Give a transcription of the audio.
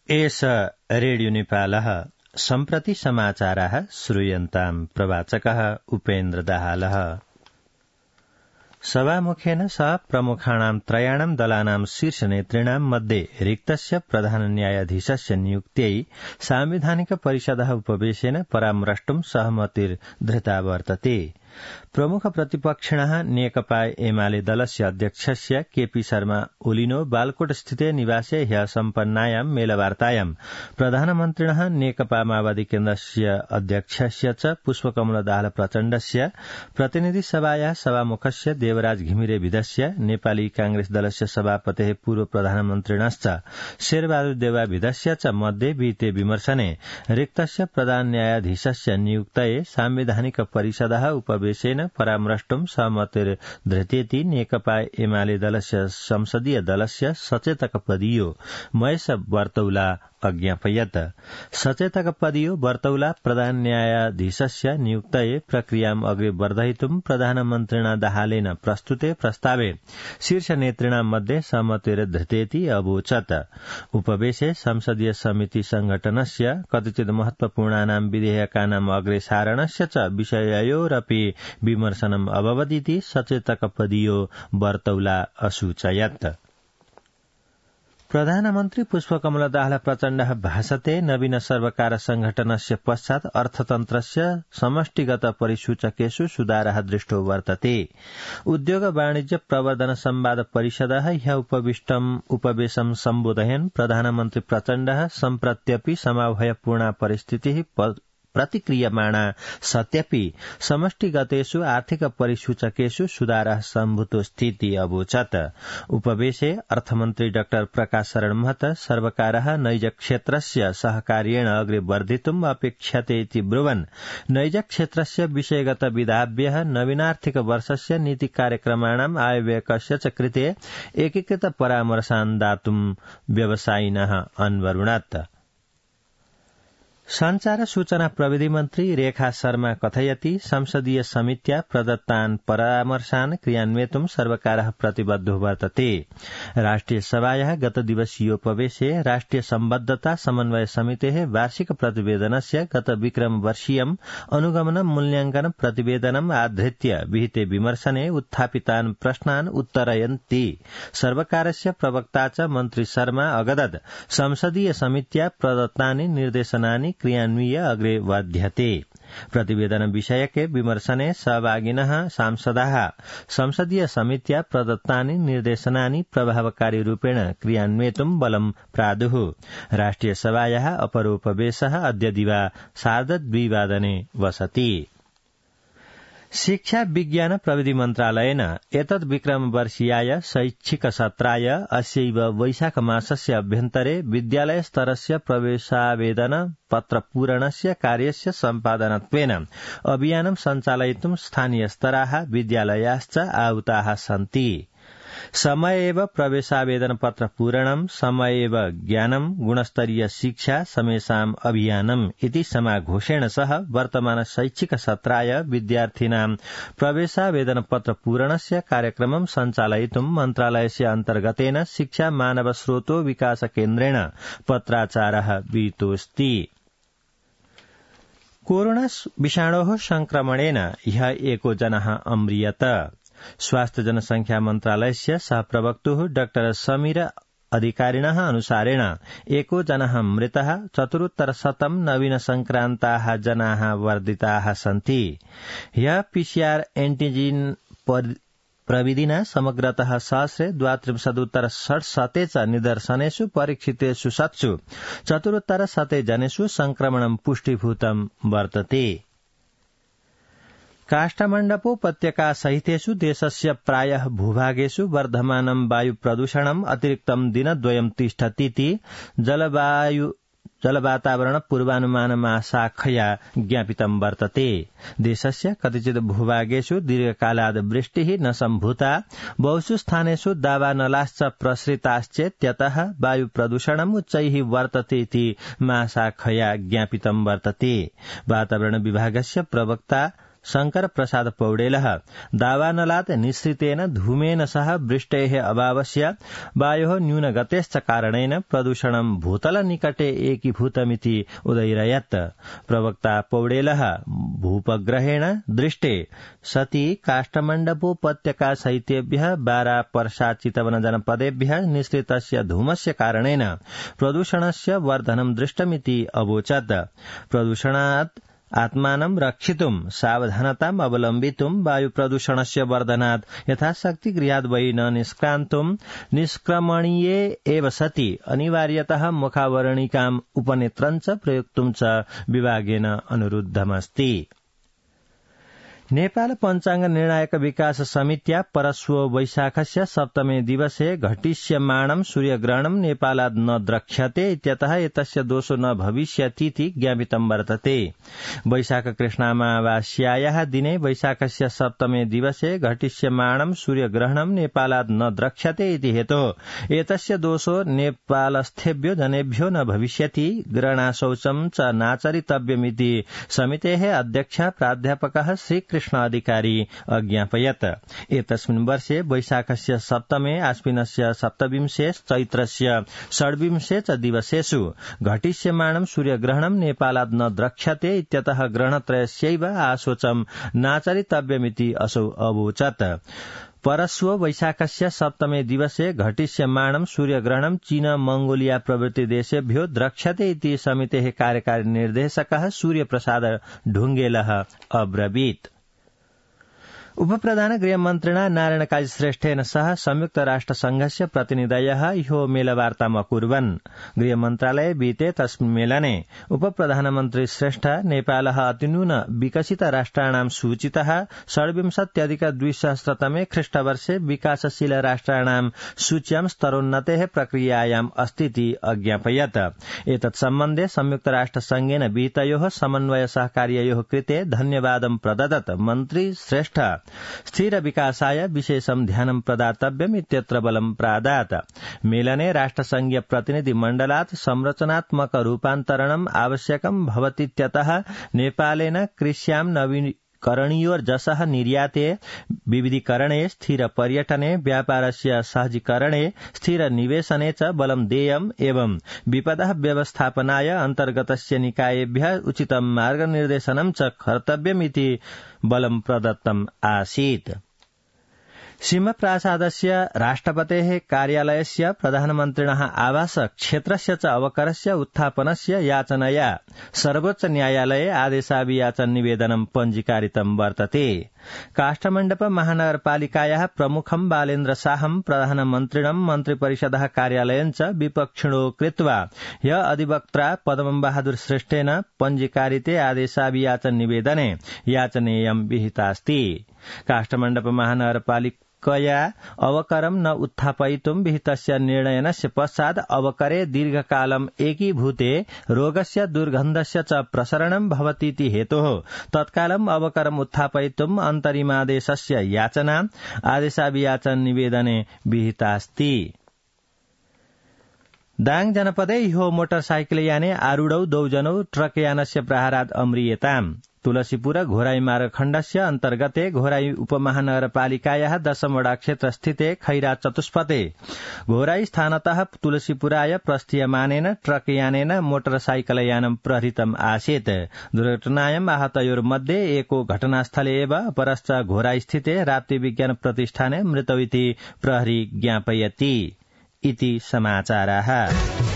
एष रेडियो नेपालः सम्प्रति समाचाराः श्रूयन्ताम् प्रवाचकः उपेन्द्र दाहालः। सभामुखेन सह प्रमुखाणां त्रयाणां दलानां शीर्षनेतॄणां मध्ये रिक्तस्य प्रधान न्यायाधीशस्य नियुक्त्यै सांविधानिक परिषदः उपवेशेन परामर्ष्टुं सहमतिर्धृता वर्तते। प्रमुख प्रतिपक्षिणः नेकपा एमाले दलस्य अध्यक्षस्य केपी शर्मा ओलिनो बालकोट स्थिते निवासे ह्यः सम्पन्नायां मेलवार्तायां प्रधानमन्त्रिणः नेकपा माओवादी केन्द्रस्य अध्यक्षस्य च पुष्पकमल दाहाल प्रचण्डस्य प्रतिनिधि सभायाः सभामुखस्य देवराज घिमिरे विधस्य नेपाली कांग्रेस दलस्य सभापतेः पूर्व प्रधानमन्त्रिणश्च शेरबहादुर देउवा विधस्य च मध्ये विहिते विमर्शने रिक्तस्य प्रधान न्यायाधीशस्य नियुक्तये सांविधानिक परिषदः उपवेशेन परामर्ष्टुं सहमतिर्धृतेति नेकपा एमाले दलस्य संसदीय दलस्य सचेतक पदीयो महेश बर्तौला अज्ञापयत्। सचेतक पदीयो बर्तौला प्रधान न्यायाधीशस्य नियुक्तये प्रक्रियाम् अग्रे वर्धयितुं प्रधानमन्त्रिणा दाहालेन प्रस्तुते प्रस्तावे शीर्ष नेतॄणां मध्ये सहमतिर्धृतेति अवोचत्। उपवेशे संसदीय समिति संघटनस्य कतिचित् महत्वपूर्णानां विधेयकानाम् अग्रेसारणस्य च विषययोरपि विमर्शनम् अभवदिति सचेतक पदीयो बर्तौला असूचयत्। प्रधानमन्त्री पुष्पकमल दाहाल प्रचण्डः भाषते नवीन सर्वकार संघटनस्य पश्चात् अर्थतन्त्रस्य समष्टिगत परिसूचकेषु सुधारः दृष्टो वर्तते। उद्योग वाणिज्य प्रवर्धन संवाद परिषदः ह्यः उपवेशं सम्बोधयन् प्रधानमन्त्री प्रचण्डः सम्प्रत्यपि समाभयपूर्णा परिस्थितिः प्रतिक्रियमाणा सत्यपि समष्टिगतेषु आर्थिक परिसूचकेषु सुधारः सम्भूतोऽस्तीति अवोचत्। उपवेशे अर्थमन्त्री डाक्टर प्रकाश शरण महत सर्वकारः नैज क्षेत्रस्य सहकार्येण अग्रे वर्धितुम् अपेक्ष्यते इति ब्रुवन् नैज क्षेत्रस्य विषयगत विधाभ्यः नवीनार्थिक वर्षस्य नीति कार्यक्रमाणाम् आयव्ययकस्य च कृते एकीकृत परामर्शान् दातुं व्यवसायिनः अन्वरुणत्। संचार सूचना प्रविधि मन्त्री रेखा शर्मा कथयति संसदीय समित्या प्रदत्तान् परामर्शान् क्रियान्वयितुं सर्वकारः प्रतिबद्धो वर्तते। राष्ट्रिय सभायाः गत दिवसीयोपवेशे राष्ट्रिय सम्बद्धता समन्वय समितेः वार्षिक प्रतिवेदनस्य गत विक्रम वर्षीयम् अनुगमन मूल्याङ्कन प्रतिवेदनम् आधृत्य विहिते विमर्शने उत्थापितान् प्रश्नान् उत्तरयन्ति सर्वकारस्य प्रवक्ता च मन्त्री शर्मा अगदत् संसदीय समित्या प्रदत्तानि निर्देशनानि क्रियान्वय्य अग्रे वर्ध्यते। प्रतिवेदन विषयके विमर्शने सहभागिनः सांसदाः संसदीय समित्या प्रदत्तानि निर्देशनानि प्रभावकारी रूपेण क्रियान्वयितुं बलं प्रादुः। राष्ट्रिय सभायाः अपरोपवेशः अद्य दिवा 2:30 वसति। शिक्षा विज्ञान प्रविधि मन्त्रालयेन एतद् विक्रम वर्षीयाय शैक्षिक सत्राय अस्यैव वैशाख मासस्य अभ्यन्तरे विद्यालय स्तरस्य प्रवेशावेदन पत्र पूरणस्य कार्यस्य सम्पादनत्वेन अभियानं सञ्चालयितुं स्थानीय स्तराः विद्यालयाश्च आहुताः सन्ति। समय एव प्रवेशावेदन पत्र पूरणं समय एव ज्ञानं गुणस्तरीय शिक्षा समेषाम् अभियानम् इति समाघोषेण सह वर्तमान शैक्षिक सत्राय विद्यार्थिनां प्रवेशावेदन पत्र पूरणस्य कार्यक्रमं सञ्चालयितुं मन्त्रालयस्य अन्तर्गतेन शिक्षा मानव स्रोतो विकास केन्द्रेण पत्राचारः विहितोऽस्ति। कोरोना विषाणोः संक्रमणेन ह्यः एको जनः अम्रियत। स्वास्थ्य जनसंख्या मन्त्रालयस्य सहप्रवक्तुः डाक्टर समीर अधिकारिणः अनुसारेण एको जनः मृतः 4,100 नवीन संक्रान्ताः जनाः वर्धिताः सन्ति। ह्यः पीसीआर एन्टिजेन प्रविधिना समग्रतः 1,32,67 च निदर्शनेषु परीक्षितेषु 4,100 जनेषु संक्रमणं पुष्टिभूतं वर्तते। काष्ठमण्डपोपत्यका सहितेषु देशस्य प्रायः भूभागेषु वर्धमानं वायु प्रदूषणम् अतिरिक्तं दिनद्वयं तिष्ठतीति जलवातावरण पूर्वानुमानमाशाखया ज्ञापितं वर्तते। देशस्य कतिचित् भूभागेषु दीर्घकालाद् वृष्टिः न सम्भूता बहुषु स्थानेषु दावानलाश्च प्रसृताश्चेत्यतः वायु प्रदूषणम् उच्चैः वर्तते इति महाशाखया ज्ञापितं वर्तते। वातावरण विभागस्य प्रवक्ता शंकर प्रसाद पौडेलः दावानलात् निःसृतेन धूमेन सह वृष्टेः अभावस्य वायोः न्यूनगतेश्च कारणेन प्रदूषणं भूतलनिकटे एकीभूतमिति उदयिरयत्। प्रवक्ता पौडेलः भूपग्रहेण दृष्टे सति काष्ठमण्डपोपत्यका सहितेभ्यः बारा पर्सा चितवन जनपदेभ्यः निःसृतस्य धूमस्य कारणेन प्रदूषणस्य वर्धनं दृष्टमिति अवोचत्। प्रदूषणात् आत्मानं रक्षितुं सावधानताम् अवलम्बितुं वायु प्रदूषणस्य वर्धनात् यथाशक्ति गृहात् बहिः न निष्क्रान्तुं निष्क्रमणीये एव सति अनिवार्यतः मुखावरणिकाम् उपनेत्रं च प्रयोक्तुं च विभागेन अनुरुद्धमस्ति। नेपाल पञ्चाङ्ग निर्णायक विकास समित्या परश्व वैशाखस्य सप्तमे दिवसे घटिष्यमाणं सूर्यग्रहणं नेपालात् न द्रक्ष्यते इत्यतः एतस्य दोषो न भविष्यतीति ज्ञापितं वर्तते। वैशाख कृष्णामावास्यायाः दिने वैशाखस्य सप्तमे दिवसे घटिष्यमाणं सूर्यग्रहणं नेपालात् न द्रक्ष्यते इति हेतोः एतस्य दोषो नेपालस्थेभ्यो जनेभ्यो न भविष्यति, ग्रहणाशौचं च नाचरितव्यमिति समितेः अध्यक्ष प्राध्यापकः श्री कृष्ण अधिकारी अज्ञापयत्। एतस्मिन् वर्षे वैशाखस्य सप्तमे आश्विनस्य सप्तविंशे चैत्रस्य षड्विंशे च दिवसेषु घटिष्यमाणं सूर्यग्रहणं नेपालात् न द्रक्ष्यते इत्यतः ग्रहणत्रयस्यैव आशोचं नाचरितव्यमिति असौ अवोचत्। परश्व वैशाखस्य सप्तमे दिवसे घटिष्यमाणं सूर्यग्रहणं चीन मंगोलिया प्रभृति देशेभ्यो द्रक्ष्यते इति समितेः कार्यकारी निर्देशकः सूर्यप्रसाद ढुंगेलः अब्रवीत्। उपप्रधान गृहमन्त्रिणा नारायण काजी श्रेष्ठेन सह संयुक्त राष्ट्रसंघस्य प्रतिनिधयः ह्यो मेलवार्ताम् अकुर्वन्। गृहमन्त्रालये विहिते तस्मिन् मेलने उपप्रधानमन्त्री श्रेष्ठ नेपालः अतिनून विकसित राष्ट्राणां सूचितः 27+2000तमे ख्रीष्टवर्षे विकासशील राष्ट्राणां सूच्यां स्तरोन्नतेः प्रक्रियायाम् अस्तीति अज्ञापयत्। एतत् सम्बन्धे संयुक्त राष्ट्रसंघेन विहितयोः समन्वय सहकार्ययोः कृते धन्यवादं प्रददत् मन्त्री श्रेष्ठ स्थिर विकासाय विशेषं ध्यानं प्रदातव्यम् इत्यत्र बलं प्रादात्। मेलने राष्ट्रसंघीय प्रतिनिधि मण्डलात् संरचनात्मक रूपान्तरणम् आवश्यकं भवतीत्यतः नेपालेन कृष्यां नवीकरणीयोर्जसः निर्याते, विविधीकरणे, स्थिर पर्यटने, व्यापारस्य सहजीकरणे, स्थिर निवेशने च बलं देयम् एवं विपदः व्यवस्थापनाय अन्तर्गतस्य निकायेभ्यः उचितं मार्गनिर्देशनं च कर्तव्यमिति बलं प्रदत्तम् आसीत्। सिंहप्रासादस्य राष्ट्रपतेः कार्यालयस्य प्रधानमन्त्रिणः आवास क्षेत्रस्य च अवकरस्य उत्थापनस्य याचनया सर्वोच्च न्यायालये आदेशाभियाचन निवेदनं पञ्जीकारितं वर्तते। काष्ठमण्डप महानगरपालिकायाः प्रमुखं बालेन्द्र शाहं प्रधानमन्त्रिणं मन्त्रिपरिषदः कार्यालयं च विपक्षिणो कृत्वा ह्य अधिवक्त्रा पद्मं बहादुर श्रेष्ठेन पञ्जीकारिते आदेशाभियाचन निवेदने याचनेयं विहितास्ति। काष्ठमण्डप महानगरपालिका अवकरं न उत्थापयितुं विहितस्य निर्णयस्य पश्चात् अवकरे दीर्घकालम् एकीभूते रोगस्य दुर्गन्धस्य च प्रसरणं भवतीति हेतोः तत्कालम् अवकरम् उत्थापयितुम् अन्तरिमादेशस्य याचना आदेशाभियाचन निवेदने विहितास्ति। दाङ जनपदे ह्यो मोटरसाइकलयाने आरूढौ दौजनौ ट्रकयानस्य प्रहारात् अम्रियताम्। तुलसीपुर घोराई मार्गखण्डस्य अन्तर्गते घोराई उपमहानगरपालिकायाः 10 वडा क्षेत्रस्थिते खैरा चतुष्पथे घोराई स्थानतः तुलसीपुराय प्रस्थीयमानेन ट्रकयानेन मोटरसाइकलयानं प्रहृतम् आसीत्। दुर्घटनायाम् आहतयोर्मध्ये एको घटनास्थले एव अपरश्च घोराई स्थिते राप्ती विज्ञान प्रतिष्ठाने मृतौ इति प्रहरी ज्ञापयति। इति समाचाराः।